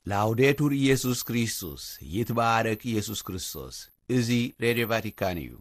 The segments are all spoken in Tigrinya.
ላውዴቱር ኢየሱስ ክርስቶስ፣ ይትባረክ ኢየሱስ ክርስቶስ። እዚ ሬድዮ ቫቲካን እዩ።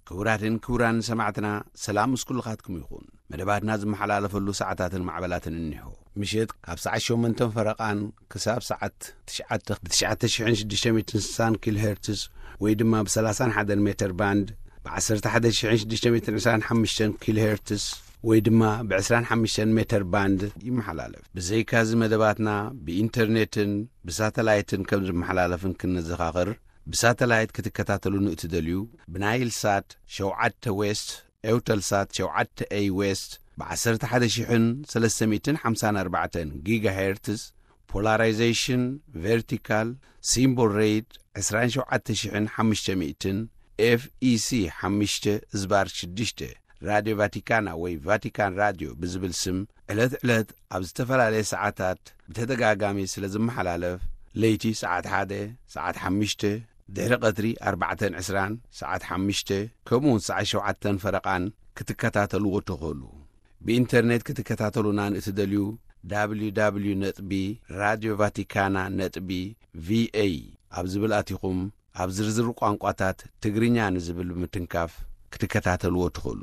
ክቡራትን ክቡራን ሰማዕትና፣ ሰላም ምስ ኩልኻትኩም ይኹን። መደባትና ዝመሓላለፈሉ ሰዓታትን ማዕበላትን እኒሆ። ምሸት ካብ ሰዓት ሸሞንተን ፈረቓን ክሳብ ሰዓት ትሽዓተ ብ ትሽዓተ ሽሕን ሽዱሽተ ሚእትን ስሳን ኪሎ ሄርትዝ ወይ ድማ ብ ሰላሳን ሓደን ሜተር ባንድ፣ ብ ዓሰርተ ሓደ ሽሕን ሽዱሽተ ሚእትን ዕስራን ሓሙሽተን ኪሎ ሄርትዝ ወይ ድማ ብ ዕስራን ሓሙሽተን ሜተር ባንድ ይመሓላለፍ። ብዘይካዚ መደባትና ብኢንተርኔትን ብሳተላይትን ከም ዝመሓላለፍን ክንዘኻኽር፣ ብሳተላይት ክትከታተሉን እትደልዩ፣ ብናይል ሳት ሸውዓተ ዌስት፣ ኤውተል ሳት ሸውዓተ ኤይ ዌስት፣ ብ ዓሰርተ ሓደ ሽሕን ሰለስተ ሚእትን ሓምሳን ኣርባዕተን ጊጋ ሄርትዝ፣ ፖላራይዜሽን ቨርቲካል፣ ሲምቦል ሬት ዕስራን ሸውዓተ ሽሕን ሓሙሽተ ሚእትን፣ ኤፍ ኢ ሲ ሓሙሽተ ዝባር ሽዱሽተ፣ ራድዮ ቫቲካና ወይ ቫቲካን ራድዮ ብዝብል ስም ዕለት ዕለት ኣብ ዝተፈላለየ ሰዓታት ብተደጋጋሚ ስለ ዝመሓላለፍ፣ ለይቲ ሰዓት ሓደ፣ ሰዓት ሓሙሽተ፣ ድሕሪ ቀትሪ ኣርባዕተን ዕስራን፣ ሰዓት ሓሙሽተ፣ ከምኡውን ሰዓት ሸውዓተን ፈረቓን ክትከታተልዎ ትኽእሉ። ብኢንተርኔት ክትከታተሉና ንእትደልዩ፣ www ነጥቢ ራድዮ ቫቲካና ነጥቢ ቪኤ ኣብ ዝብል ኣቲኹም፣ ኣብ ዝርዝር ቋንቋታት ትግርኛ ንዝብል ብምትንካፍ ክትከታተልዎ ትኽእሉ።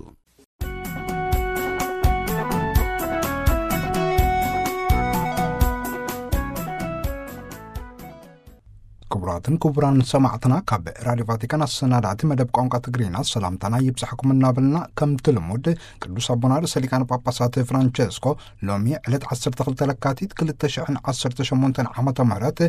ክቡራትን ክቡራን ሰማዕትና፣ ካብ ራድዮ ቫቲካን ኣሰናዳእቲ መደብ ቋንቋ ትግርኛ ሰላምታና ይብጻሕኩም እናበልና፣ ከምቲ ልሙድ ቅዱስ ኣቦና ርእሰ ሊቃነ ጳጳሳት ፍራንቸስኮ ሎሚ ዕለት ዓሰርተ ክልተ ለካቲት ክልተ ሽሕን ዓሰርተ ሸሞንተን ዓመተ ምህረት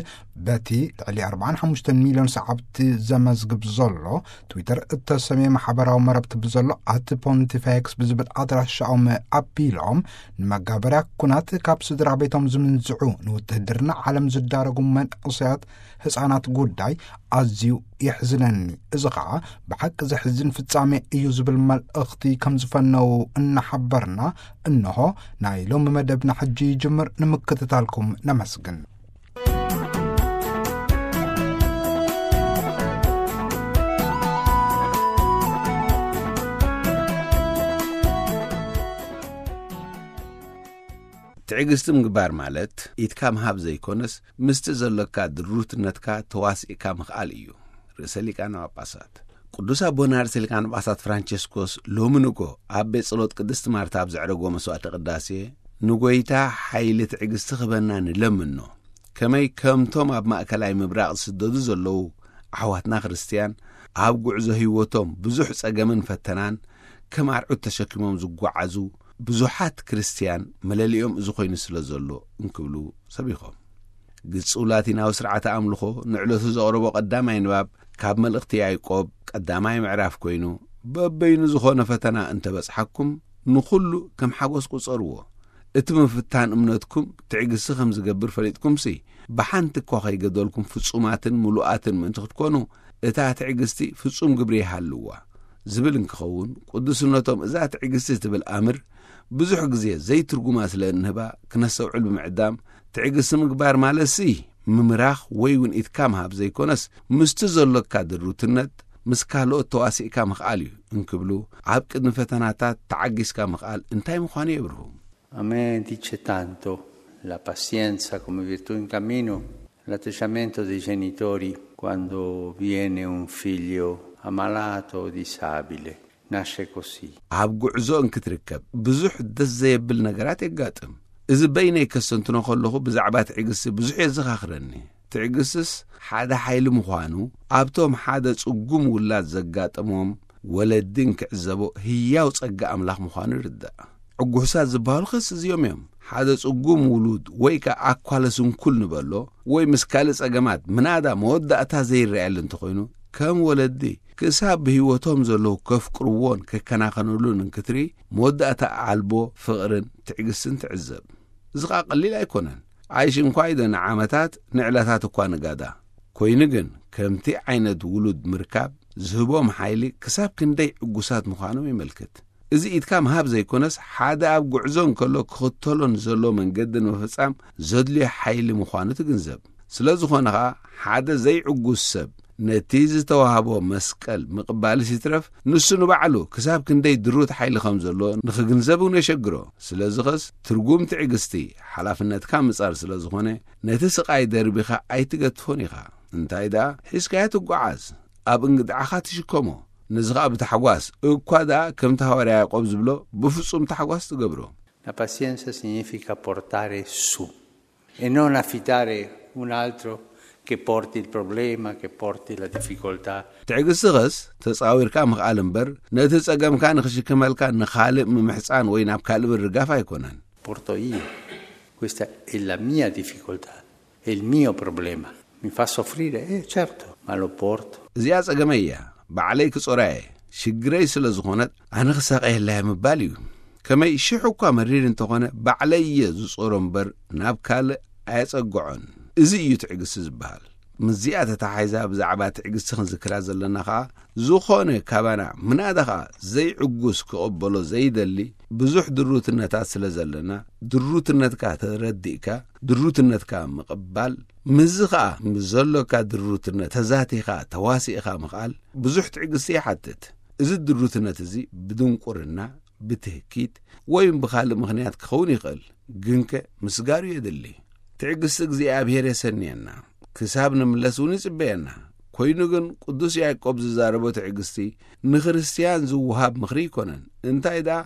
በቲ ልዕሊ ኣርባዓን ሓሙሽተን ሚልዮን ሰዓብቲ ዘመዝግብ ዘሎ ትዊተር እተሰምየ ማሕበራዊ መረብቲ ብዘሎ ኣት ፖንቲፌክስ ብዝብል ኣድራሻኦም ኣቢሎም፣ ንመጋበርያ ኩናት ካብ ስድራ ቤቶም ዝምንዝዑ፣ ንውትህድርና ዓለም ዝዳረጉ መንእሰያት፣ ህጻናት ጉዳይ ኣዝዩ የሕዝነኒ። እዚ ኸኣ ብሓቂ ዘሕዝን ፍጻሜ እዩ ዝብል መልእኽቲ ከም ዝፈነዉ እናሓበርና፣ እንሆ ናይ ሎሚ መደብና ሕጂ ይጅምር። ንምክትታልኩም ነመስግን። ትዕግስቲ ምግባር ማለት ኢድካ ምሃብ ዘይኮነስ፣ ምስቲ ዘሎካ ድሩትነትካ ተዋሲእካ ምኽኣል እዩ። ርእሰ ሊቃነ ጳጳሳት ቅዱስ ኣቦና ርእሰ ሊቃነ ጳጳሳት ፍራንቸስኮስ ሎሚ ንጎ ኣብ ቤት ጸሎት ቅድስቲ ማርታ ኣብ ዘዕረጎ መስዋዕተ ቅዳሴ፣ ንጎይታ ሓይሊ ትዕግስቲ ክህበና ንለምኖ። ከመይ ከምቶም ኣብ ማእከላይ ምብራቕ ዝስደዱ ዘለዉ ኣሕዋትና ክርስትያን፣ ኣብ ጉዕዞ ህይወቶም ብዙሕ ጸገምን ፈተናን ከም ኣርዑት ተሸኪሞም ዝጓዓዙ ብዙሓት ክርስትያን መለሊኦም እዚ ኮይኑ ስለ ዘሎ እንክብሉ ሰቢኾም። ግጹው ላቲናዊ ስርዓተ ኣምልኾ ንዕለቱ ዘቕረቦ ቀዳማይ ንባብ ካብ መልእኽቲ ያዕቆብ ቀዳማይ ምዕራፍ ኮይኑ፣ በበይኑ ዝኾነ ፈተና እንተበጽሓኩም ንኹሉ ከም ሓጎስ ቁጸርዎ። እቲ ምፍታን እምነትኩም ትዕግስቲ ከም ዝገብር ፈሊጥኩምሲ፣ ብሓንቲ እኳ ከይገደልኩም ፍጹማትን ምሉኣትን ምእንቲ ክትኮኑ፣ እታ ትዕግስቲ ፍጹም ግብሪ ይሃልዋ። ዝብል እንክኸውን፣ ቅዱስነቶም እዛ ትዕግስቲ ትብል ኣምር ብዙሕ ግዜ ዘይትርጉማ ስለ እንህባ ክነስተውዕል ብምዕዳም፣ ትዕግስቲ ምግባር ማለትሲ ምምራኽ ወይ እውን ኢድካ ምሃብ ዘይኮነስ፣ ምስቲ ዘሎካ ድሩትነት ምስ ካልኦት ተዋሲእካ ምኽኣል እዩ እንክብሉ፣ ኣብ ቅድሚ ፈተናታት ተዓጊስካ ምኽኣል እንታይ ምዃኑ የብርሁ። A me dice tanto la pazienza come virtù in cammino, l'atteggiamento dei genitori quando viene un figlio ammalato o disabile. Nasce così. ኣብ ጉዕዞ እንክትርከብ ብዙሕ ደስ ዘየብል ነገራት የጋጥም። እዚ በይነይ ከስተንትኖ ከለኹ ብዛዕባ ትዕግስቲ ብዙሕ የዘኻኽረኒ። ትዕግስትስ ሓደ ሓይሊ ምዃኑ ኣብቶም ሓደ ጽጉም ውላድ ዘጋጠሞም ወለዲ እንክዕዘቦ ህያው ጸጋ ኣምላኽ ምዃኑ ይርዳእ። ዕጉሳት ዝበሃሉ ኸስ እዚኦም እዮም። ሓደ ጽጉም ውሉድ ወይ ከኣ ኣኳለ ስንኩል ንበሎ ወይ ምስ ካልእ ጸገማት ምናዳ መወዳእታ ዘይረኣየሉ እንተኾይኑ፣ ከም ወለዲ ክሳብ ብህይወቶም ዘለዉ ከፍቅርዎን ከከናኸንሉን እንክትርኢ፣ መወዳእታ ኣልቦ ፍቕርን ትዕግስትን ትዕዘብ። እዚ ኸኣ ቀሊል ኣይኮነን። ኣይሽ እንኳ ኢደ ንዓመታት ንዕለታት እኳ ንጋዳ። ኮይኑ ግን፣ ከምቲ ዓይነት ውሉድ ምርካብ ዝህቦም ሓይሊ ክሳብ ክንደይ ዕጉሳት ምዃኖም የመልክት። እዚ ኢድካ ምሃብ ዘይኮነስ፣ ሓደ ኣብ ጉዕዞ እንከሎ ክኽተሎ ንዘሎ መንገዲ ንምፍጻም ዘድልዮ ሓይሊ ምዃኑ ትግንዘብ። ስለ ዝኾነ ኸኣ፣ ሓደ ዘይዕጉስ ሰብ ነቲ ዝተዋህቦ መስቀል ምቕባልስ ይትረፍ፣ ንሱ ንባዕሉ ክሳብ ክንደይ ድሩት ሓይሊ ከም ዘሎ ንኽግንዘብ እውን የሸግሮ። ስለዚ ኸስ፣ ትርጉም ትዕግስቲ፣ ሓላፍነትካ ምጻር ስለ ዝኾነ፣ ነቲ ስቓይ ደርቢኻ ኣይትገትፎን ኢኻ። እንታይ ደኣ፣ ሒዝካዮ ትጓዓዝ፣ ኣብ እንግድዓኻ ትሽከሞ። ነዚ ኸኣ ብታሕጓስ፣ እኳ ደኣ ከምቲ ሃዋርያ ያዕቆብ ዝብሎ፣ ብፍጹም ታሕጓስ ትገብሮ። La pazienza significa portare su e non affidare un altro che porti il problema, che porti la difficoltà. ትዕግስቲ ኸስ፣ ተጻዊርካ ምኽኣል እምበር፣ ነቲ ጸገምካ ንኽሽክመልካ ንኻልእ ምምሕጻን ወይ ናብ ካልእ ምርጋፍ ኣይኮነን። Porto io. Questa è la mia difficoltà, è il mio problema. Mi fa soffrire? Eh, certo, ma lo porto. እዚኣ ጸገመይ እያ፣ ባዕለይ ክጾራ እየ። ሽግረይ ስለ ዝኾነት፣ ኣነ ክሳቐየላ እየ ምባል እዩ። ከመይ ሽሕ እኳ መሪር እንተኾነ፣ ባዕለይ እየ ዝጾሮ እምበር፣ ናብ ካልእ ኣየጸግዖን። እዚ እዩ ትዕግስቲ ዝበሃል። ምስዚኣ ተተሓሒዛ ብዛዕባ ትዕግስቲ ክንዝክራ ዘለና ኸኣ፣ ዝኾነ ካባና፣ ምናዳ ኸኣ ዘይዕጉስ ክቕበሎ ዘይደሊ ብዙሕ ድሩትነታት ስለ ዘለና፣ ድሩትነትካ ተረዲእካ፣ ድሩትነትካ ምቕባል፣ ምስዚ ኸኣ ምስ ዘሎካ ድሩትነት ተዛቲኻ፣ ተዋሲእኻ ምኽኣል ብዙሕ ትዕግስቲ ይሓትት። እዚ ድሩትነት እዚ ብድንቁርና፣ ብትህኪት፣ ወይ ብኻልእ ምኽንያት ክኸውን ይኽእል። ግንከ ምስጋሩ የድሊ። ትዕግስቲ እግዚኣብሔር የሰንየና፣ ክሳብ ንምለስ እውን ይጽበየና። ኮይኑ ግን ቅዱስ ያዕቆብ ዝዛረቦ ትዕግስቲ ንክርስትያን ዝወሃብ ምኽሪ ኣይኮነን። እንታይ ደኣ፣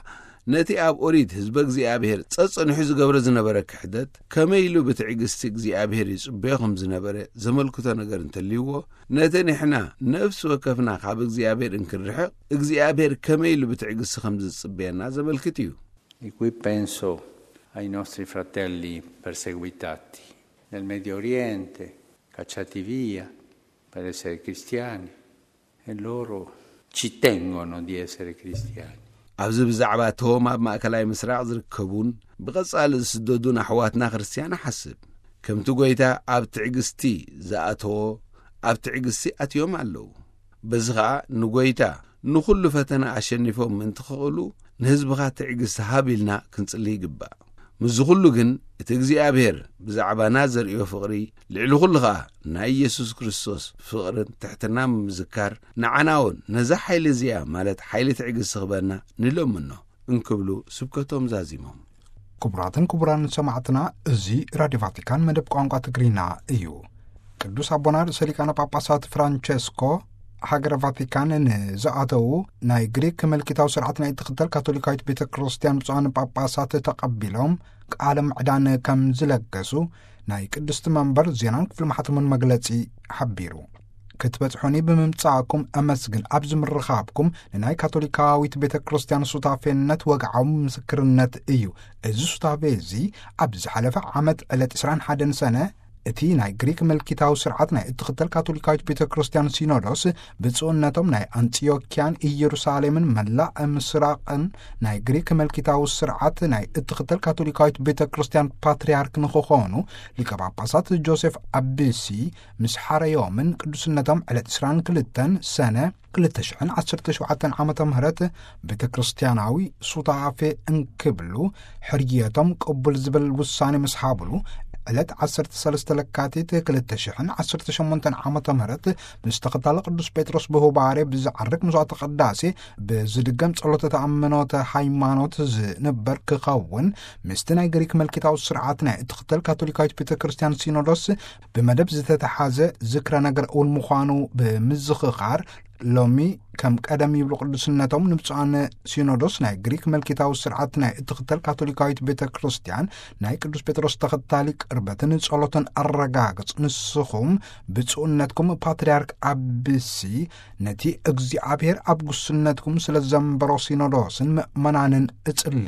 ነቲ ኣብ ኦሪት ህዝበ እግዚኣብሔር ጸጸኒሑ ዝገብሮ ዝነበረ ክሕደት፣ ከመይ ኢሉ ብትዕግስቲ እግዚኣብሔር ይጽበዮ ከም ዝነበረ ዘመልክቶ ነገር እንተልይዎ፣ ነቲ ንሕና ነፍሲ ወከፍና ካብ እግዚኣብሔር እንክንርሕቕ፣ እግዚኣብሔር ከመይ ኢሉ ብትዕግስቲ ከም ዝጽበየና ዘመልክት እዩ። E qui penso ai nostri fratelli perseguitati nel Medio Oriente, cacciati via per essere cristiani, e loro ci tengono di essere cristiani. ኣብዚ ብዛዕባ እቶም ኣብ ማእከላይ ምስራቕ ዝርከቡን ብቐጻሊ ዝስደዱን ኣሕዋትና ክርስትያን እሓስብ። ከምቲ ጐይታ ኣብ ትዕግስቲ ዝኣተዎ፣ ኣብ ትዕግስቲ ኣትዮም ኣለዉ። በዚ ኸኣ ንጐይታ ንኹሉ ፈተና ኣሸኒፎም ምእንቲ ክኽእሉ፣ ንህዝብኻ ትዕግስቲ ሃብ ኢልና ክንጽሊ ይግባእ። ምስዚ ኹሉ ግን፣ እቲ እግዚኣብሔር ብዛዕባና ዘርእዮ ፍቕሪ፣ ልዕሊ ኹሉ ኸኣ ናይ ኢየሱስ ክርስቶስ ፍቕርን ትሕትናን ብምዝካር፣ ንዓና እውን ነዛ ሓይሊ እዚኣ፣ ማለት ሓይሊ ትዕግስቲ ክህበና ንለምኖ እንክብሉ ስብከቶም ዛዚሞም። ክቡራትን ክቡራን ሰማዕትና፣ እዚ ራድዮ ቫቲካን መደብ ቋንቋ ትግርኛ እዩ። ቅዱስ ኣቦና ርእሰ ሊቃነ ጳጳሳት ፍራንቸስኮ ሃገረ ቫቲካን ንዝኣተዉ ናይ ግሪክ ምልኪታዊ ስርዓት ናይ እትኽተል ካቶሊካዊት ቤተ ክርስቲያን ብፁዓን ጳጳሳት ተቐቢሎም ቃለ ምዕዳን ከም ዝለገሱ ናይ ቅድስቲ መንበር ዜናን ክፍሊ ማሕተሙን መግለጺ ሓቢሩ። ክትበጽሑኒ ብምምጻእኩም ኣመስግን፣ ኣብዚ ምርኻብኩም ንናይ ካቶሊካዊት ቤተ ክርስቲያን ሱታፌነት ወግዓዊ ምስክርነት እዩ። እዚ ሱታፌ እዚ ኣብ ዝሓለፈ ዓመት ዕለት ዕስራን ሓደን ሰነ እቲ ናይ ግሪክ ምልኪታዊ ስርዓት ናይ እትኽተል ካቶሊካዊት ቤተ ክርስቲያን ሲኖዶስ ብፁዕነቶም ናይ ኣንጢዮክያን ኢየሩሳሌምን መላእ ምስራቕን ናይ ግሪክ ምልኪታዊ ስርዓት ናይ እትኽተል ካቶሊካዊት ቤተ ክርስቲያን ፓትርያርክ ንኽኾኑ ሊቀ ጳጳሳት ጆሴፍ ኣቢሲ ምስ ሓረዮምን ቅዱስነቶም ዕለት ዕስራን ክልተን ሰነ ክልተ ሽሕን ዓሰርተ ሸውዓተን ዓመተ ምህረት ቤተ ክርስቲያናዊ ሱታፌ እንክብሉ ሕርየቶም ቅቡል ዝብል ውሳኔ ምስ ሃብሉ፣ ዕለት ዓሰርተ ሰለስተ ለካቲት ክልተ ሽሕን ዓሰርተ ሸሞንተን ዓመተ ምህረት ምስ ተኸታሊ ቅዱስ ጴጥሮስ ብሁባሬ ብዝዓርግ መስዋዕተ ቅዳሴ ብዝድገም ጸሎተ ተኣምኖተ ሃይማኖት ዝንበር ክኸውን ምስቲ ናይ ግሪክ ምልኪታዊ ስርዓት ናይ እትኽተል ካቶሊካዊት ቤተ ክርስቲያን ሲኖዶስ ብመደብ ዝተተሓዘ ዝክረ ነገር እውን ምዃኑ ብምዝኽኻር፣ ሎሚ ከም ቀደም ይብሉ ቅዱስነቶም ንብፁዓን ሲኖዶስ ናይ ግሪክ መልኪታዊ ስርዓት ናይ እትኽተል ካቶሊካዊት ቤተ ክርስቲያን ናይ ቅዱስ ጴጥሮስ ተኸታሊ ቅርበትን ጸሎትን ኣረጋግጽ። ንስኹም ብፁዕነትኩም ፓትርያርክ ኣብሲ ነቲ እግዚኣብሔር ኣብ ጉስነትኩም ስለ ዘንበሮ ሲኖዶስን ምእመናንን እጽሊ።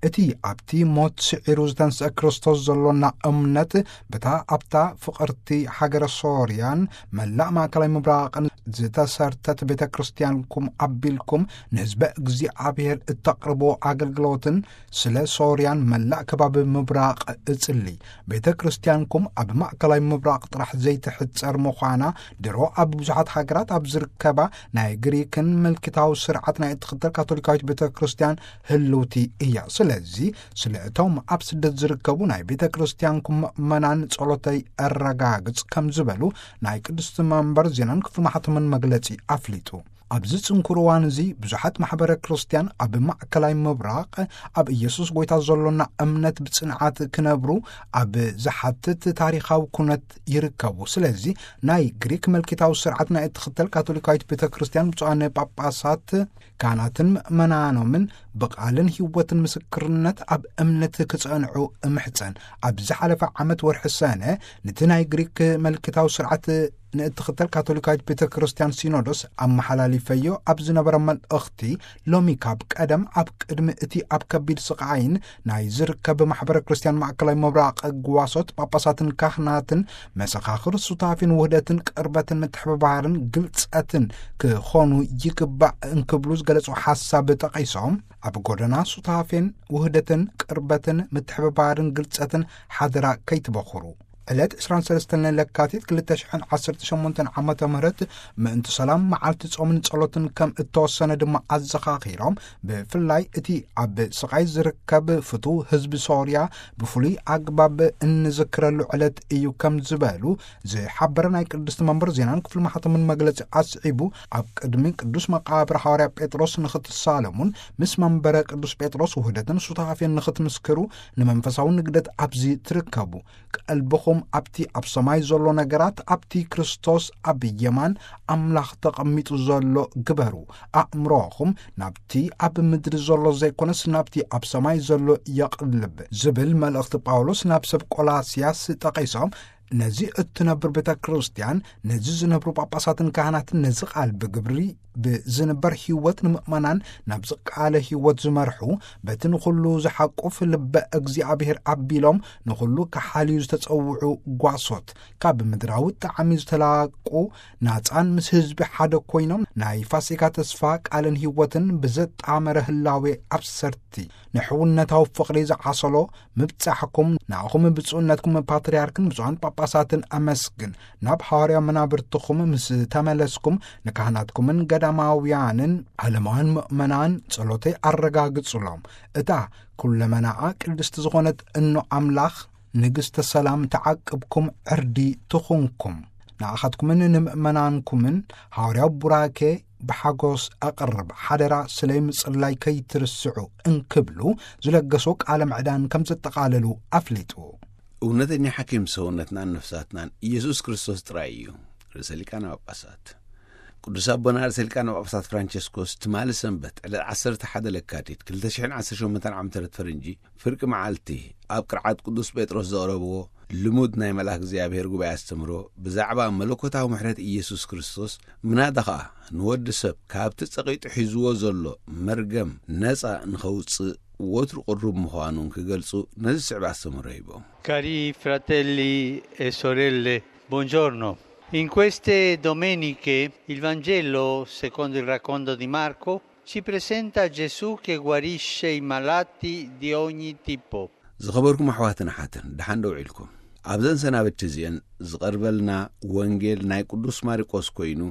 እቲ ኣብቲ ሞት ስዒሩ ዝተንስአ ክርስቶስ ዘሎና እምነት፣ በታ ኣብታ ፍቕርቲ ሃገረ ሶርያን መላእ ማእከላይ ምብራቕን ዝተሰርተት ቤተ ክርስቲያንኩም ኣቢልኩም ንህዝበ እግዚኣብሔር እተቕርቦ ኣገልግሎትን ስለ ሶርያን መላእ ከባቢ ምብራቕ እጽሊ። ቤተ ክርስቲያንኩም ኣብ ማእከላይ ምብራቕ ጥራሕ ዘይትሕጸር ምዃና ድሮ ኣብ ብዙሓት ሃገራት ኣብ ዝርከባ ናይ ግሪክን ምልክታዊ ስርዓት ናይ እትኽተል ካቶሊካዊት ቤተ ክርስቲያን ህልውቲ እያ። ስለዚ ስለ እቶም ኣብ ስደት ዝርከቡ ናይ ቤተ ክርስቲያንኩም ምእመናን ጸሎተይ ኣረጋግጽ ከም ዝበሉ ናይ ቅድስቲ መንበር ዜናን ክፍሊ ማሕተምን መግለጺ ኣፍሊጡ። ኣብዚ ጽንኩር እዋን እዚ ብዙሓት ማሕበረ ክርስቲያን ኣብ ማእከላይ ምብራቕ ኣብ ኢየሱስ ጎይታ ዘሎና እምነት ብጽንዓት ክነብሩ ኣብ ዝሓትት ታሪኻዊ ኩነት ይርከቡ። ስለዚ ናይ ግሪክ መልኪታዊ ስርዓት ናይ እትኽተል ካቶሊካዊት ቤተ ክርስቲያን ብፁዓን ጳጳሳት ካህናትን ምእመናኖምን ብቓልን ህይወትን ምስክርነት ኣብ እምነት ክጸንዑ እምሕጸን። ኣብ ዝሓለፈ ዓመት ወርሒ ሰነ ነቲ ናይ ግሪክ መልክታዊ ስርዓት ንእትኽተል ካቶሊካዊት ቤተ ክርስቲያን ሲኖዶስ ኣመሓላሊፈዮ ኣብ ዝነበረ መልእኽቲ፣ ሎሚ ካብ ቀደም ኣብ ቅድሚ እቲ ኣብ ከቢድ ስቓይን ናይ ዝርከብ ማሕበረ ክርስቲያን ማእከላይ ምብራቕ ጓሶት ጳጳሳትን ካህናትን መሰኻኽር ሱታፌን ውህደትን ቅርበትን ምትሕብባርን ግልጸትን ክኾኑ ይግባእ እንክብሉ ዝገለጹ ሓሳብ ጠቒሶም፣ ኣብ ጎደና ሱታፌን ውህደትን ቅርበትን ምትሕብባርን ግልጸትን ሓደራ ከይትበኹሩ። ዕለት ዕስራን ሰለስተን ለካቲት ክልተ ሽሕን ዓሰርተ ሸሞንተን ዓመተ ምህረት ምእንቲ ሰላም መዓልቲ ጾምን ጸሎትን ከም እተወሰነ ድማ ኣዘኻኺሮም፣ ብፍላይ እቲ ኣብ ስቓይ ዝርከብ ፍቱው ህዝቢ ሶርያ ብፍሉይ ኣግባብ እንዝክረሉ ዕለት እዩ ከም ዝበሉ ዝሓበረ ናይ ቅድስቲ መንበር ዜናን ክፍሊ ማሕተምን መግለጺ ኣስዒቡ፣ ኣብ ቅድሚ ቅዱስ መቃብር ሃዋርያ ጴጥሮስ ንኽትሳለሙን ምስ መንበረ ቅዱስ ጴጥሮስ ውህደትን ሱታፌን ንኽትምስክሩ ንመንፈሳዊ ንግደት ኣብዚ ትርከቡ። ቀልብኹም ኣብቲ ኣብ ሰማይ ዘሎ ነገራት፣ ኣብቲ ክርስቶስ ኣብ የማን ኣምላኽ ተቐሚጡ ዘሎ ግበሩ። ኣእምሮኹም ናብቲ ኣብ ምድሪ ዘሎ ዘይኮነስ ናብቲ ኣብ ሰማይ ዘሎ የቕልብ ዝብል መልእኽቲ ጳውሎስ ናብ ሰብ ቆላስያስ ጠቒሶም፣ ነዚ እትነብር ቤተ ክርስቲያን፣ ነዚ ዝነብሩ ጳጳሳትን ካህናትን ነዚ ቃል ብግብሪ ብዝንበር ህይወት ንምእመናን ናብ ዝቃለ ህይወት ዝመርሑ፣ በቲ ንኹሉ ዝሓቁፍ ልበ እግዚኣብሔር ኣቢሎም ንኹሉ ክሓልዩ ዝተጸውዑ ጓሶት፣ ካብ ምድራዊ ጣዕሚ ዝተላቁ፣ ናጻን ምስ ህዝቢ ሓደ ኮይኖም ናይ ፋሲካ ተስፋ ቃልን ህይወትን ብዘጣመረ ህላዌ ኣብሰርቲ፣ ንሕውነታዊ ፍቕሪ ዝዓሰሎ ምብጻሕኩም፣ ንኣኹም ብፁዕነትኩም ፓትርያርክን ብፁዓን ጳጳሳትን ኣመስግን። ናብ ሃዋርያ መናብርትኹም ምስ ተመለስኩም፣ ንካህናትኩምን ገዳማውያንን ዓለማውያን ምእመናን ጸሎተይ ኣረጋግጹሎም። እታ ኩለመናኣ ቅድስቲ ዝኾነት እኖ ኣምላኽ፣ ንግስተ ሰላም፣ ተዓቅብኩም ዕርዲ ትኹንኩም። ንኣኻትኩምን ንምእመናንኩምን ሃዋርያዊ ቡራኬ ብሓጎስ ኣቕርብ፣ ሓደራ ስለይ ምጽላይ ከይትርስዑ እንክብሉ ዝለገሶ ቃለ ምዕዳን ከም ዘጠቓለሉ ኣፍሊጡ። እውነተኛ ሓኪም ሰውነትናን ነፍሳትናን ኢየሱስ ክርስቶስ ጥራይ እዩ። ርእሰ ሊቃነ ጳጳሳት ቅዱስ ኣቦና ርእሰ ሊቃነ ጳጳሳት ፍራንቸስኮስ ትማሊ ሰንበት ዕለት ዓሰርተ ሓደ ለካቲት ክልተ ሽሕን ዓሰርተ ሸሞንተን ዓመተ ምህረት ፈረንጂ ፍርቂ መዓልቲ ኣብ ቅርዓት ቅዱስ ጴጥሮስ ዘቕረብዎ ልሙድ ናይ መልኣክ እግዚኣብሔር ጉባኤ ኣስተምህሮ ብዛዕባ መለኮታዊ ምሕረት ኢየሱስ ክርስቶስ፣ ምናዳ ኸኣ ንወዲ ሰብ ካብቲ ጸቒጡ ሒዝዎ ዘሎ መርገም ነጻ ንኸውጽእ ወትሩ ቅሩብ ምዃኑ እንክገልጹ ነዚ ዝስዕብ ኣስተምህሮ ሂቦም። Cari fratelli e sorelle, buongiorno. In queste domeniche il Vangelo, secondo il racconto di Marco, ci presenta Gesù che guarisce i malati di ogni tipo. ዝኸበርኩም ኣሕዋትን ኣሓትን፣ ደሓን ዶ ውዒልኩም? ኣብዘን ሰናብቲ እዚአን ዝቐርበልና ወንጌል ናይ ቅዱስ ማርቆስ ኮይኑ፣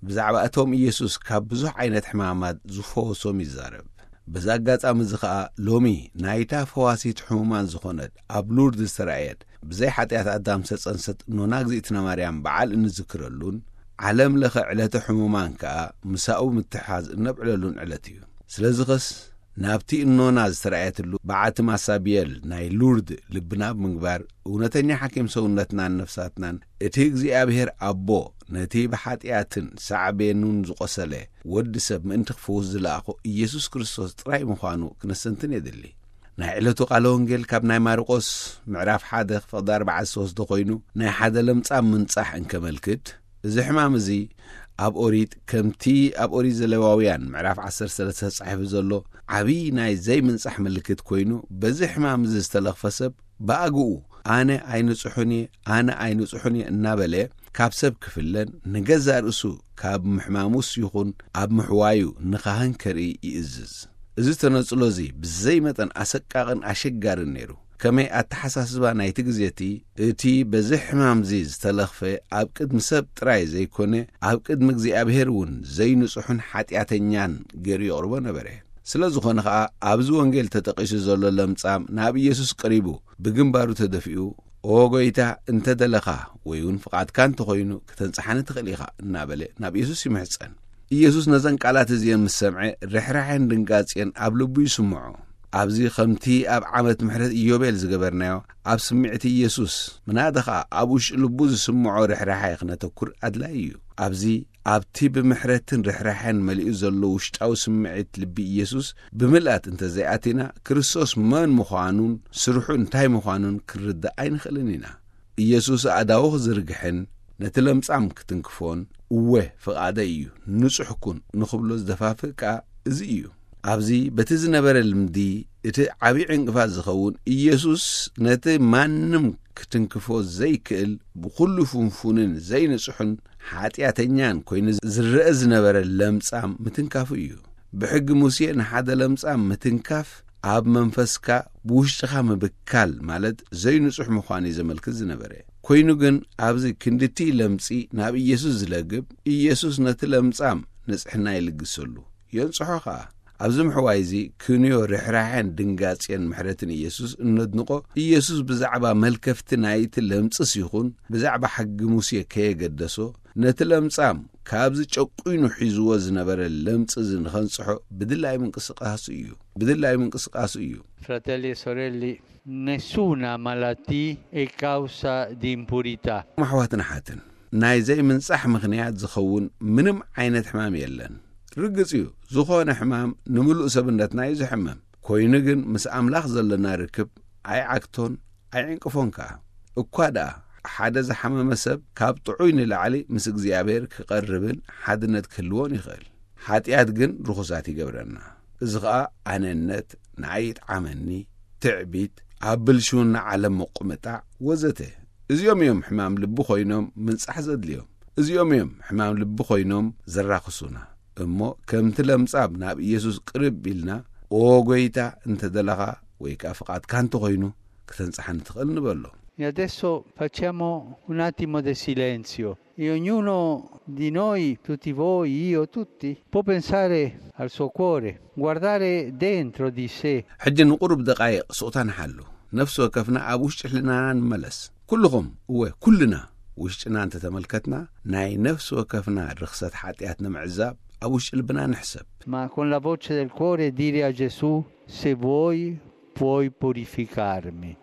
ብዛዕባ እቶም ኢየሱስ ካብ ብዙሕ ዓይነት ሕማማት ዝፈወሶም ይዛረብ። በዚ ኣጋጣሚ እዚ ኸኣ፣ ሎሚ ናይታ ፈዋሲት ሕሙማን ዝኾነት፣ ኣብ ሉርድ ዝተራእየት፣ ብዘይ ሓጢኣት ኣዳም ዝተጸንሰት ኖና እግዚኣብእትና ማርያም በዓል እንዝክረሉን፣ ዓለም ለኸ ዕለተ ሕሙማን ከኣ ምሳኡ ምትሕሓዝ እነብዕለሉን ዕለት እዩ። ስለዚ ኸስ፣ ናብቲ እኖና ዝተራእየትሉ በዓቲ ማሳብየል ናይ ሉርድ ልብና ብምግባር፣ እውነተኛ ሓኪም ሰውነትናን ነፍሳትናን፣ እቲ እግዚኣብሔር ኣቦ ነቲ ብሓጢኣትን ሳዕቤኑን ዝቖሰለ ወዲ ሰብ ምእንቲ ክፍውስ ዝለኣኾ ኢየሱስ ክርስቶስ ጥራይ ምዃኑ ክነስተንትን የድሊ። ናይ ዕለቱ ቃለ ወንጌል ካብ ናይ ማርቆስ ምዕራፍ ሓደ ፍቕዲ ኣርባዕተ ሶስተ ኮይኑ፣ ናይ ሓደ ለምጻም ምንጻሕ እንከመልክት፣ እዚ ሕማም እዚ ኣብ ኦሪት፣ ከምቲ ኣብ ኦሪት ዘሌዋውያን ምዕራፍ ዓሰርተ ሰለስተ ተጻሒፉ ዘሎ፣ ዓብዪ ናይ ዘይምንጻሕ ምልክት ኮይኑ፣ በዚ ሕማም እዚ ዝተለኽፈ ሰብ ብኣግኡ፣ "ኣነ ኣይንጹሕን እየ፣ ኣነ ኣይንጹሕን እየ" እናበለ፣ ካብ ሰብ ክፍለን፣ ንገዛእ ርእሱ ካብ ምሕማሙስ ይኹን ኣብ ምሕዋዩ ንኻህን ከርኢ ይእዝዝ። እዚ ተነጽሎ እዚ ብዘይ መጠን ኣሰቃቕን ኣሸጋርን ነይሩ። ከመይ ኣተሓሳስባ ናይቲ ግዜ እቲ፣ እቲ በዚ ሕማም እዚ ዝተለኽፈ ኣብ ቅድሚ ሰብ ጥራይ ዘይኮነ፣ ኣብ ቅድሚ እግዚኣብሔር እውን ዘይንጹሕን ሓጢኣተኛን ገይሩ የቕርቦ ነበረ። ስለ ዝኾነ ኸኣ ኣብዚ ወንጌል ተጠቒሱ ዘሎ ለምጻም ናብ ኢየሱስ ቀሪቡ ብግንባሩ ተደፊኡ፣ "ኦ ጐይታ፣ እንተ ደለኻ ወይ እውን ፍቓድካ እንተኾይኑ ከተንጽሓኒ ትኽእል ኢኻ" እናበለ ናብ ኢየሱስ ይምሕጸን። ኢየሱስ ነዘን ቃላት እዚአን ምስ ሰምዐ ርሕራሐን ድንጋጼን ኣብ ልቡ ይስምዖ። ኣብዚ ከምቲ ኣብ ዓመት ምሕረት ኢዮቤል ዝገበርናዮ ኣብ ስምዒት ኢየሱስ ምናደ ኸኣ ኣብ ውሽጢ ልቡ ዝስምዖ ርሕራሐ ክነተኩር ኣድላዪ እዩ። ኣብዚ ኣብቲ ብምሕረትን ርሕራሐን መሊኡ ዘሎ ውሽጣዊ ስምዒት ልቢ ኢየሱስ ብምልኣት እንተዘይኣቲና፣ ክርስቶስ መን ምዃኑን ስርሑ እንታይ ምዃኑን ክንርዳእ ኣይንኽእልን ኢና። ኢየሱስ ኣእዳዉ ክዝርግሕን ነቲ ለምጻም ክትንክፎን፣ "እወ፣ ፍቓደይ እዩ፣ ንጹሕ ኩን" ንኽብሎ ዝደፋፍእ ከኣ እዚ እዩ። ኣብዚ በቲ ዝነበረ ልምዲ እቲ ዓቢ ዕንቅፋት ዝኸውን፣ ኢየሱስ ነቲ ማንም ክትንክፎ ዘይክእል ብኹሉ ፍንፉንን ዘይንጹሕን ሓጢኣተኛን ኮይኑ ዝረአ ዝነበረ ለምጻም ምትንካፉ እዩ። ብሕጊ ሙሴ ንሓደ ለምጻም ምትንካፍ ኣብ መንፈስካ ብውሽጥኻ ምብካል ማለት ዘይንጹሕ ምዃኑ እዩ ዘመልክት ዝነበረ። ኮይኑ ግን ኣብዚ ክንድቲ ለምጺ ናብ ኢየሱስ ዝለግብ፣ ኢየሱስ ነቲ ለምጻም ንጽሕና ይልግሰሉ፣ የንጽሖ ኸኣ። ኣብዚ ምሕዋይ እዚ ክንዮ ርሕራሐን ድንጋጼን ምሕረትን ኢየሱስ እነድንቖ፣ ኢየሱስ ብዛዕባ መልከፍቲ ናይቲ ለምጽስ ይኹን ብዛዕባ ሕጊ ሙሴ ከየገደሶ፣ ነቲ ለምጻም ካብዚ ጨቁይኑ ሒዝዎ ዝነበረ ለምጽ እዚ ንኸንጽሖ ብድላይ ምንቅስቃሱ እዩ። ብድላይ ምንቅስቃሱ እዩ። Fratelli e sorelle, nessuna malattia è causa di impurità. ኣሕዋትን ኣሓትን፣ ናይ ዘይምንጻሕ ምኽንያት ዝኸውን ምንም ዓይነት ሕማም የለን። ርግጽ እዩ፣ ዝኾነ ሕማም ንምሉእ ሰብነትና እዩ ዝሕምም። ኮይኑ ግን ምስ ኣምላኽ ዘለና ርክብ ኣይዓግቶን ኣይዕንቅፎን ከኣ። እኳ ደኣ ሓደ ዝሓመመ ሰብ ካብ ጥዑይ ንላዕሊ ምስ እግዚኣብሔር ክቐርብን ሓድነት ክህልዎን ይኽእል። ሓጢኣት ግን ርኹሳት ይገብረና። እዚ ኸኣ ኣነነት፣ ንዓይ ይጥዓመኒ፣ ትዕቢት፣ ኣብ ብልሽውና ዓለም ምቁምጣዕ ወዘተ። እዚኦም እዮም ሕማም ልቢ ኮይኖም ምንጻሕ ዘድልዮም። እዚኦም እዮም ሕማም ልቢ ኮይኖም ዘራኽሱና። እሞ ከምቲ ለምጻም ናብ ኢየሱስ ቅርብ ኢልና፣ "ኦ ጐይታ፣ እንተ ደለኻ ወይ ከኣ ፍቓድካ እንተኾይኑ፣ ክተንጽሓኒ ትኽእል" ንበሎ። E adesso facciamo un attimo di silenzio. E ognuno di noi, tutti voi, io, tutti, può pensare al suo cuore, guardare dentro di sé. ሕጂ ንቁሩብ ደቃይቕ ስቕታ ንሓሉ። ነፍሲ ወከፍና ኣብ ውሽጢ ሕልናና ንመለስ። ኩልኹም፣ እወ፣ ኩልና ውሽጥና እንተተመልከትና፣ ናይ ነፍሲ ወከፍና ርኽሰት ሓጢኣት ንምዕዛብ ኣብ ውሽጢ ልብና ንሕሰብ። Ma con la voce del cuore dire a Gesù: "Se vuoi, puoi purificarmi."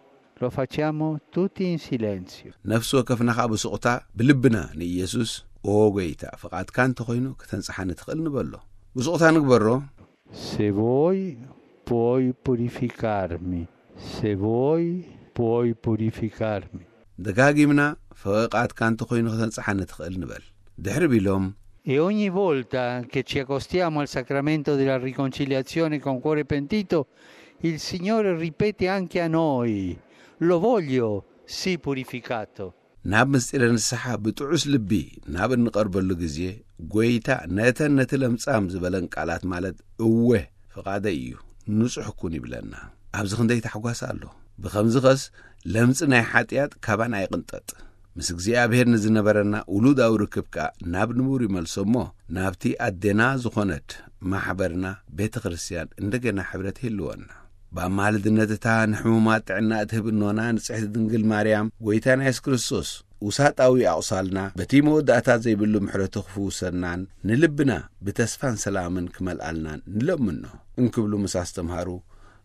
Lo facciamo tutti in silenzio. ነፍሲ ወከፍና ኸኣ ብስቕታ ብልብና ንኢየሱስ፣ "ኦ ጐይታ፣ ፍቓድካ እንተኾይኑ ከተንጽሓኒ ትኽእል" ንበሎ። ብስቕታ ንግበሮ። Se vuoi, puoi purificarmi. Se vuoi, puoi purificarmi. ደጋጊምና፣ "ፍቓድካ እንተኾይኑ ከተንጽሓኒ ትኽእል" ንበል። ድሕሪ ቢሎም፣ E ogni volta che ci accostiamo al sacramento della riconciliazione con cuore pentito, il Signore ripete anche a noi: "Lo voglio, sii purificato." ናብ ምስጢረ ንስሓ ብጥዑስ ልቢ ናብ እንቐርበሉ ግዜ፣ ጐይታ ነተን ነቲ ለምጻም ዝበለን ቃላት፣ ማለት "እወ፣ ፍቓደይ እዩ፣ ንጹሕ ኩን" ይብለና። ኣብዚ ክንደይ ታሕጓስ ኣሎ! ብኸምዚ ኸስ ለምጺ ናይ ሓጢኣት ካባና ይቕንጠጥ። ምስ እግዚኣብሔር ንዝነበረና ውሉዳዊ ርክብ ከኣ ናብ ንቡር ይመልሶ እሞ፣ ናብቲ ኣዴና ዝኾነት ማሕበርና ቤተ ክርስቲያን እንደገና ሕብረት ይህልወና። ብኣማልድነት እታ ንሕሙማት ጥዕና እትህብ እኖና ንጽሕቲ ድንግል ማርያም፣ ጐይታና የሱስ ክርስቶስ ውሳጣዊ ኣቑሳልና በቲ መወዳእታ ዘይብሉ ምሕረቱ ክፍውሰናን ንልብና ብተስፋን ሰላምን ክመልኣልናን ንለምኖ እንክብሉ ምስ ኣስተምሃሩ፣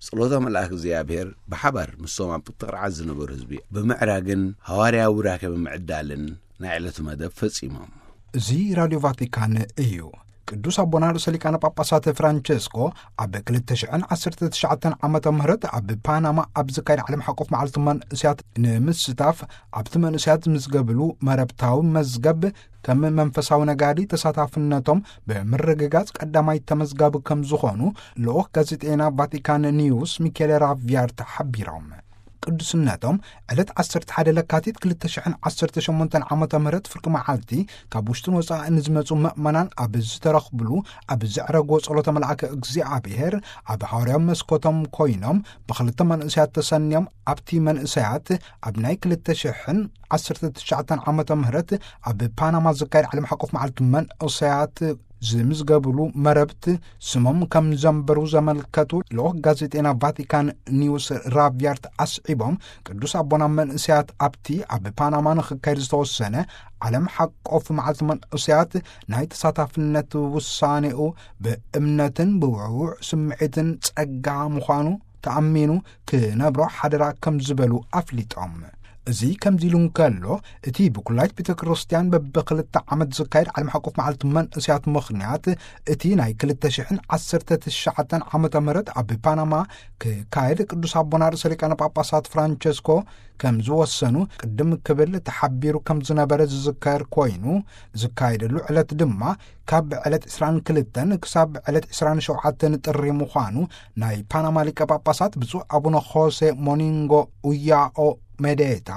ጸሎተ መልኣክ እግዚኣብሔር ብሓባር ምስቶም ኣብ ትቕርዓት ዝነበሩ ህዝቢ ብምዕራግን ሃዋርያዊ ቡራኬ ብምዕዳልን ናይ ዕለቱ መደብ ፈጺሞም። እዚ ራድዮ ቫቲካን እዩ። ቅዱስ ኣቦና ርእሰ ሊቃነ ጳጳሳት ፍራንቸስኮ ኣብ ክልተ ሽሕን ዓሰርተ ትሽዓተን ዓመተ ምህረት ኣብ ፓናማ ኣብ ዝካየድ ዓለም ሓቆፍ መዓልቲ መንእስያት ንምስታፍ ኣብቲ መንእስያት ዝምዝገብሉ መረብታዊ መዝገብ ከም መንፈሳዊ ነጋዲ ተሳታፍነቶም ብምርግጋጽ ቀዳማይ ተመዝጋቢ ከም ዝኾኑ ልኡኽ ጋዜጠና ቫቲካን ኒውስ ሚኬለ ራቪያርት ሓቢሮም። ቅዱስነቶም ዕለት ዓሰርተ ሓደ ለካቲት ክልተ ሽሕን ዓሰርተ ሸሞንተን ዓመተ ምህረት ፍርቂ መዓልቲ ካብ ውሽጥን ወጻእን ዝመጹ ምእመናን ኣብ ዝተረኽብሉ ኣብ ዘዕረግዎ ጸሎተ መልኣከ እግዚኣብሔር ኣብ ሃዋርያዊ መስኮቶም ኮይኖም ብኽልተ መንእሰያት ተሰንዮም ኣብቲ መንእሰያት ኣብ ናይ ክልተ ሽሕን ዓሰርተ ትሽዓተን ዓመተ ምህረት ኣብ ፓናማ ዝካየድ ዓለም ሓቆፍ መዓልቲ መንእሰያት ዝምዝገብሉ መረብት ስሞም ከም ዘንበሩ ዘመልከቱ ልኡኽ ጋዜጠና ቫቲካን ኒውስ ራቢያርት ኣስዒቦም ቅዱስ ኣቦና መንእሰያት ኣብቲ ኣብ ፓናማ ንኽካየድ ዝተወሰነ ዓለም ሓቆፍ መዓልቲ መንእሰያት ናይ ተሳታፍነት ውሳኔኡ ብእምነትን ብውዕውዕ ስምዒትን ጸጋ ምዃኑ ተኣሚኑ ክነብሮ ሓደራ ከም ዝበሉ ኣፍሊጦም። እዚ ከምዚ ኢሉ እንከሎ እቲ ብኩላይት ቤተ ክርስቲያን በብክልተ ዓመት ዝካየድ ዓለም ሓቆፍ መዓልቲ መንእስያት ምኽንያት እቲ ናይ ክልተ ሽሕን ዓሰርተ ትሽዓተን ዓመተ ምህረት ኣብ ፓናማ ክካየድ ቅዱስ ኣቦና ርእሰ ሊቃነ ጳጳሳት ፍራንቸስኮ ከም ዝወሰኑ ቅድም ክብል ተሓቢሩ ከም ዝነበረ ዝዝከር ኮይኑ ዝካየደሉ ዕለት ድማ ካብ ዕለት ዕስራን ክልተን ክሳብ ዕለት ዕስራን ሸውዓተን ጥሪ ምዃኑ ናይ ፓናማ ሊቀ ጳጳሳት ብፁዕ ኣቡነ ኾሴ ሞኒንጎ ኡያኦ መዴታ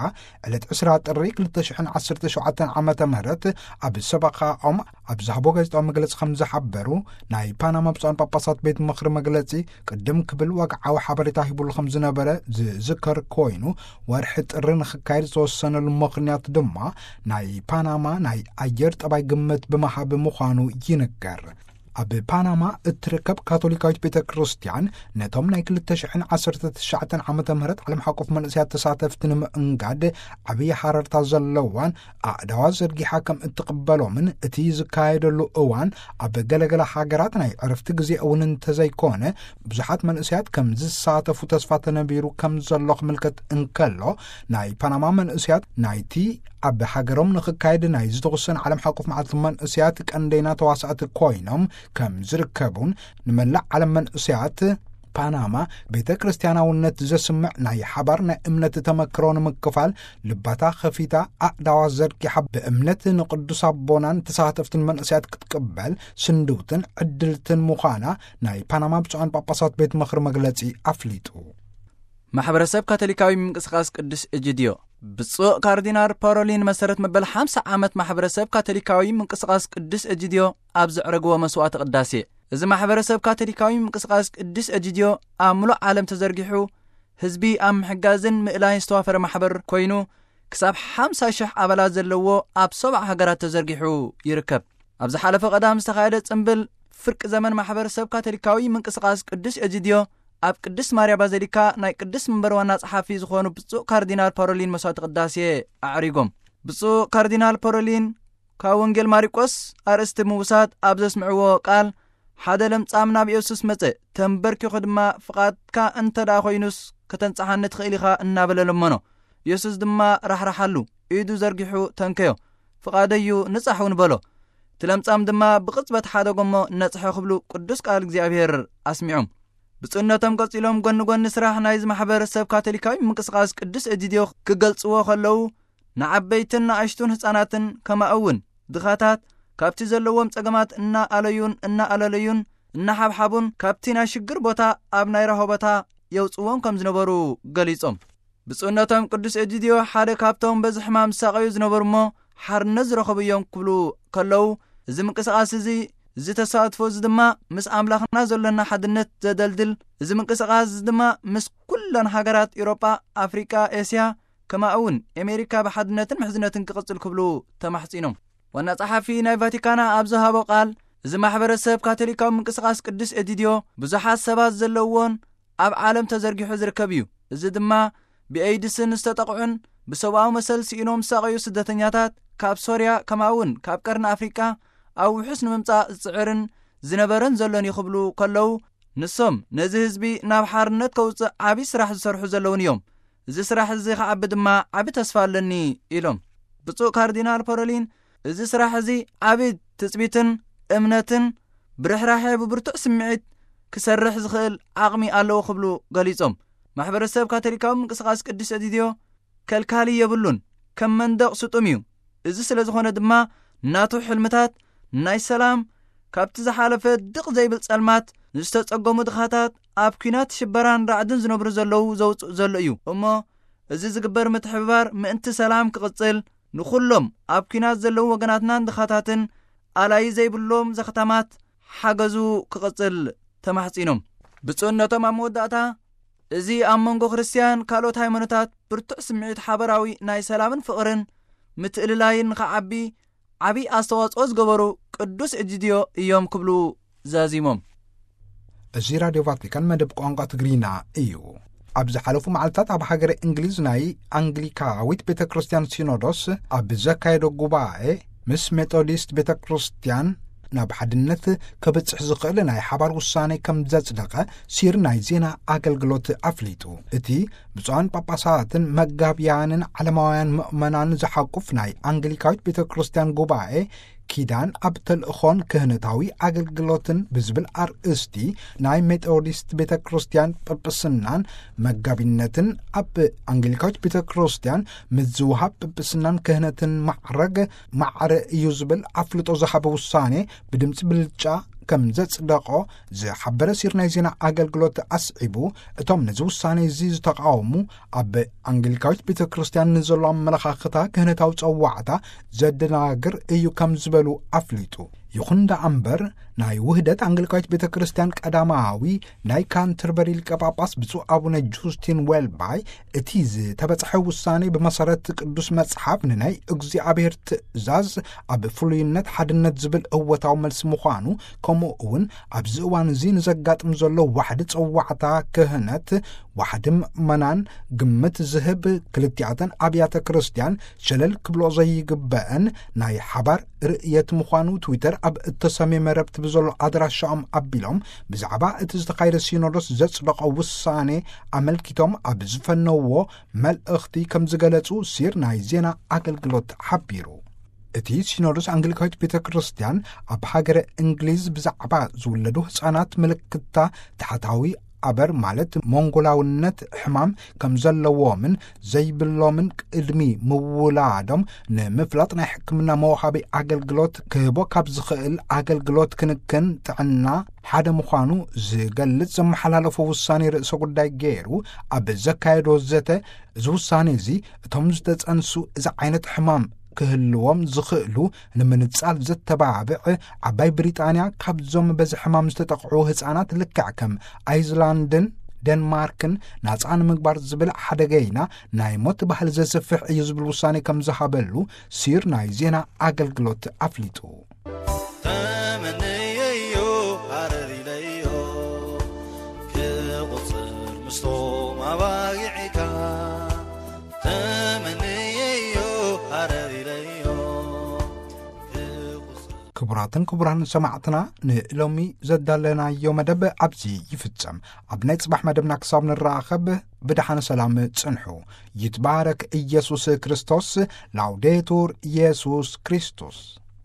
ዕለት ዕስራ ጥሪ ክልተ ሽሕን ዓሰርተ ሸውዓተን ዓመተ ምህረት ኣብ ሰበኻኦም ኣብ ዝሃቦ ጋዜጣዊ መግለጺ ከም ዝሓበሩ ናይ ፓናማ ብፁዓን ጳጳሳት ቤት ምኽሪ መግለጺ ቅድም ክብል ወግዓዊ ሓበሬታ ሂቡሉ ከም ዝነበረ ዝዝከር ኮይኑ ወርሒ ጥሪ ንኽካየድ ዝተወሰነሉ ምኽንያት ድማ ናይ ፓናማ ናይ ኣየር ጠባይ ግምት ብምሃብ ምዃኑ ይንገር። ኣብ ፓናማ እትርከብ ካቶሊካዊት ቤተ ክርስቲያን ነቶም ናይ ክልተ ሽሕን ዓሰርተ ትሽዓተን ዓመተ ምህረት ዓለም ሓቆፍ መንእስያት ተሳተፍቲ ንምእንጋድ ዓብዪ ሓረርታ ዘለዋን ኣእዳዋ ዘርጊሓ ከም እትቕበሎምን እቲ ዝካየደሉ እዋን ኣብ ገለገለ ሃገራት ናይ ዕረፍቲ ግዜ እውን እንተዘይኮነ ብዙሓት መንእስያት ከም ዝሳተፉ ተስፋ ተነቢሩ ከም ዘሎ ክምልከት እንከሎ ናይ ፓናማ መንእስያት ናይቲ ኣብ ሃገሮም ንኽካየድ ናይ ዝተወሰነ ዓለም ሓቆፍ መዓልቲ መንእስያት ቀንደይና ተዋሳእቲ ኮይኖም ከም ዝርከቡን ንመላእ ዓለም መንእስያት ፓናማ ቤተ ክርስቲያናውነት ዘስምዕ ናይ ሓባር ናይ እምነት ተመክሮ ንምክፋል ልባታ ኸፊታ ኣእዳዋ ዘርጊሓ ብእምነት ንቅዱስ ኣቦናን ተሳተፍትን መንእስያት ክትቅበል ስንድውትን ዕድልትን ምዃና ናይ ፓናማ ብፁዓን ጳጳሳት ቤት ምኽሪ መግለጺ ኣፍሊጡ። ማሕበረሰብ ካቶሊካዊ ምንቅስቃስ ቅዱስ እጅድዮ ብፁዕ ካርዲናል ፓሮሊን መሰረት መበል ሓምሳ ዓመት ማሕበረሰብ ካቶሊካዊ ምንቅስቃስ ቅዱስ እጅድዮ ኣብ ዘዕረግዎ መስዋዕቲ ቅዳሴ እዚ ማሕበረሰብ ካቶሊካዊ ምንቅስቃስ ቅዱስ እጅድዮ ኣብ ምሉእ ዓለም ተዘርጊሑ ህዝቢ ኣብ ምሕጋዝን ምእላይን ዝተዋፈረ ማሕበር ኮይኑ ክሳብ ሓምሳ ሽሕ ኣባላት ዘለዎ ኣብ ሰብዓ ሃገራት ተዘርጊሑ ይርከብ። ኣብ ዝሓለፈ ቀዳም ዝተኻየደ ጽምብል ፍርቂ ዘመን ማሕበረሰብ ካቶሊካዊ ምንቅስቃስ ቅዱስ እጅድዮ ኣብ ቅድስት ማርያ ባዘሊካ ናይ ቅድስት መንበር ዋና ጸሓፊ ዝኾኑ ብፁዕ ካርዲናል ፓሮሊን መስዋዕቲ ቅዳሴ ኣዕሪጎም። ብፁዕ ካርዲናል ፓሮሊን ካብ ወንጌል ማሪቆስ ኣርእስቲ ምውሳድ ኣብ ዘስምዕዎ ቃል ሓደ ለምጻም ናብ የሱስ መጸ፣ ተንበርኪኹ ድማ ፍቓድካ እንተ ደኣ ኮይኑስ ከተንጽሓኒ ትኽእል ኢኻ እናበለ ለመኖ። የሱስ ድማ ራሕራሓሉ፣ ኢዱ ዘርጊሑ ተንከዮ፣ ፍቓደዩ ንጻሕ እውን በሎ። እቲ ለምጻም ድማ ብቕጽበት ሓደጎ እሞ ነጽሐ ክብሉ ቅዱስ ቃል እግዚኣብሔር ኣስሚዖም። ብፁዕነቶም ቀጺሎም ጎኒ ጎኒ ስራሕ ናይዚ ማሕበረሰብ ካቶሊካዊ ምንቅስቃስ ቅዱስ እጅድዮ ክገልጽዎ ከለዉ ንዓበይትን ንኣሽቱን ህጻናትን ከማኡ እውን ድኻታት ካብቲ ዘለዎም ጸገማት እናኣለዩን እናኣለለዩን እናሓብሓቡን ካብቲ ናይ ሽግር ቦታ ኣብ ናይ ራሆ ቦታ የውጽዎም ከም ዝነበሩ ገሊጾም። ብፁዕነቶም ቅዱስ እጅድዮ ሓደ ካብቶም በዚ ሕማም ዝሳቐዩ ዝነበሩ እሞ ሓርነት ዝረኸቡ እዮም ክብሉ ከለዉ እዚ ምንቅስቃስ እዚ እዚ ተሳትፎ እዚ ድማ ምስ ኣምላኽና ዘሎና ሓድነት ዘደልድል እዚ ምንቅስቃስ እዚ ድማ ምስ ኩለን ሃገራት ኤውሮጳ ኣፍሪቃ ኤስያ ከማኡ እውን ኣሜሪካ ብሓድነትን ምሕዝነትን ክቕጽል ክብሉ ተማሕጺኖም። ዋና ጸሓፊ ናይ ቫቲካና ኣብ ዝሃቦ ቃል እዚ ማሕበረሰብ ካቶሊካዊ ምንቅስቃስ ቅዱስ እድድዮ ብዙሓት ሰባት ዘለውዎን ኣብ ዓለም ተዘርጊሑ ዝርከብ እዩ። እዚ ድማ ብኤይድስን ዝተጠቕዑን ብሰብኣዊ መሰል ስኢኖም ዝሳቐዩ ስደተኛታት ካብ ሶርያ ከማኡ እውን ካብ ቀርኒ ኣፍሪቃ ኣብ ውሑስ ንምምጻእ ዝጽዕርን ዝነበረን ዘሎን እዩ ክብሉ ከለዉ ንሶም ነዚ ህዝቢ ናብ ሓርነት ከውጽእ ዓብዪ ስራሕ ዝሰርሑ ዘለውን እዮም። እዚ ስራሕ እዚ ክዓቢ ድማ ዓቢ ተስፋ ኣለኒ ኢሎም። ብፁዕ ካርዲናል ፖሮሊን እዚ ስራሕ እዚ ዓቢ ትጽቢትን እምነትን ብርሕራሐ ብብርቱዕ ስምዒት ክሰርሕ ዝኽእል ዓቕሚ ኣለዎ ክብሉ ገሊጾም። ማሕበረሰብ ካቶሊካዊ ምንቅስቃስ ቅዱስ እድድዮ ከልካሊ የብሉን፣ ከም መንደቕ ስጡም እዩ። እዚ ስለ ዝኾነ ድማ ናቱ ሕልምታት ናይ ሰላም ካብቲ ዝሓለፈ ድቕ ዘይብል ጸልማት ንዝተጸገሙ ድኻታት ኣብ ኲናት ሽበራን ራዕድን ዝነብሩ ዘለዉ ዘውጽእ ዘሎ እዩ እሞ እዚ ዝግበር ምትሕብባር ምእንቲ ሰላም ክቕጽል፣ ንኹሎም ኣብ ኲናት ዘለዉ ወገናትናን ድኻታትን ኣላዪ ዘይብሎም ዘኽታማት ሓገዙ ክቕጽል ተማሕጺኖም። ብፁዕነቶም ኣብ መወዳእታ፣ እዚ ኣብ መንጎ ክርስትያን ካልኦት ሃይማኖታት ብርቱዕ ስምዒት ሓበራዊ ናይ ሰላምን ፍቕርን ምትእልላይን ንኸዓቢ ዓቢ ኣስተዋጽኦ ዝገበሩ ቅዱስ እጅድዮ እዮም ክብሉ ዛዚሞም። እዚ ራድዮ ቫቲካን መደብ ቋንቋ ትግርኛ እዩ። ኣብ ዝሓለፉ መዓልታት ኣብ ሃገረ እንግሊዝ ናይ ኣንግሊካዊት ቤተ ክርስቲያን ሲኖዶስ ኣብ ዘካየዶ ጉባኤ፣ ምስ ሜቶዲስት ቤተ ክርስቲያን ናብ ሓድነት ከብጽሕ ዝኽእል ናይ ሓባር ውሳኔ ከም ዘጽደቐ ሲር ናይ ዜና ኣገልግሎት ኣፍሊጡ። እቲ ብፁዓን ጳጳሳትን መጋብያንን ዓለማውያን ምእመናን ዝሓቁፍ ናይ ኣንግሊካዊት ቤተ ክርስቲያን ጉባኤ፣ ኪዳን ኣብ ተልእኾን ክህነታዊ ኣገልግሎትን ብዝብል ኣርእስቲ፣ ናይ ሜቶዲስት ቤተ ክርስቲያን ጵጵስናን መጋቢነትን ኣብ ኣንግሊካዊት ቤተ ክርስቲያን ምዝውሃብ ጵጵስናን ክህነትን ማዕረግ ማዕረ እዩ ዝብል ኣፍልጦ ዝሃበ ውሳኔ ብድምፂ ብልጫ ከም ዘጽደቆ ዝሓበረ ሲር ናይ ዜና ኣገልግሎት ኣስዒቡ፣ እቶም ነዚ ውሳኔ እዚ ዝተቃወሙ፣ ኣብ ኣንግሊካዊት ቤተ ክርስቲያን ንዘሎ ኣመለኻኽታ ክህነታዊ ጸዋዕታ ዘደናግር እዩ ከም ዝበሉ ኣፍሊጡ። ይኹን ደኣ እምበር፣ ናይ ውህደት ኣንግሊካዊት ቤተ ክርስቲያን ቀዳማዊ ናይ ካንተርበሪ ሊቀ ጳጳስ ብፁዕ ኣቡነ ጁስቲን ዌልባይ፣ እቲ ዝተበጽሐ ውሳኔ ብመሰረት ቅዱስ መጽሓፍ ንናይ እግዚኣብሔር ትእዛዝ ኣብ ፍሉይነት ሓድነት ዝብል እወታዊ መልሲ ምዃኑ፣ ከምኡ እውን ኣብዚ እዋን እዚ ንዘጋጥም ዘሎ ዋሕዲ ጸዋዕታ ክህነት፣ ዋሕዲ ምእመናን ግምት ዝህብ፣ ክልቲኣተን ኣብያተ ክርስቲያን ሸለል ክብሎ ዘይግበአን ናይ ሓባር ርእየት ምዃኑ ትዊተር ኣብ እተሰምየ መረብቲ ብዘሎ ኣድራሻኦም ኣቢሎም፣ ብዛዕባ እቲ ዝተኻየደ ሲኖዶስ ዘጽደቐ ውሳኔ ኣመልኪቶም ኣብ ዝፈነዎ መልእኽቲ ከም ዝገለጹ ሲር ናይ ዜና ኣገልግሎት ሓቢሩ። እቲ ሲኖዶስ ኣንግሊካዊት ቤተ ክርስቲያን ኣብ ሃገረ እንግሊዝ ብዛዕባ ዝውለዱ ህጻናት ምልክታ ታሕታዊ ኣበር ማለት ሞንጎላውነት ሕማም ከም ዘለዎምን ዘይብሎምን ቅድሚ ምውላዶም ንምፍላጥ ናይ ሕክምና መውሃቢ ኣገልግሎት ክህቦ ካብ ዝኽእል ኣገልግሎት ክንክን ጥዕና ሓደ ምዃኑ ዝገልጽ ዘመሓላለፎ ውሳኔ ርእሰ ጉዳይ ገይሩ ኣብ ዘካየዶ ዘተ፣ እዚ ውሳኔ እዚ እቶም ዝተጸንሱ እዚ ዓይነት ሕማም ክህልዎም ዝኽእሉ ንምንጻል ዘተባብዕ፣ ዓባይ ብሪጣንያ ካብዞም በዚ ሕማም ዝተጠቕዑ ህጻናት ልክዕ ከም ኣይስላንድን ደንማርክን ናጻ ንምግባር ዝብል ሓደገይና ናይ ሞት ባህሊ ዘስፍሕ እዩ ዝብል ውሳኔ ከም ዝሃበሉ ሲር ናይ ዜና ኣገልግሎት ኣፍሊጡ። ተመነየዮ ሃረር ኢለዮ ክቑጽር ምስቶም ኣባጊዕካ። ተመነየዮ ሃረር ኢለዮ ክቑጽር። ክቡራትን ክቡራን ሰማዕትና፣ ንሎሚ ዘዳለናዮ መደብ ኣብዚ ይፍጸም። ኣብ ናይ ጽባሕ መደብና ክሳብ ንራኸብ ብደሓን ሰላም ጽንሑ። ይትባረክ ኢየሱስ ክርስቶስ። ላውዴቱር ኢየሱስ ክርስቶስ።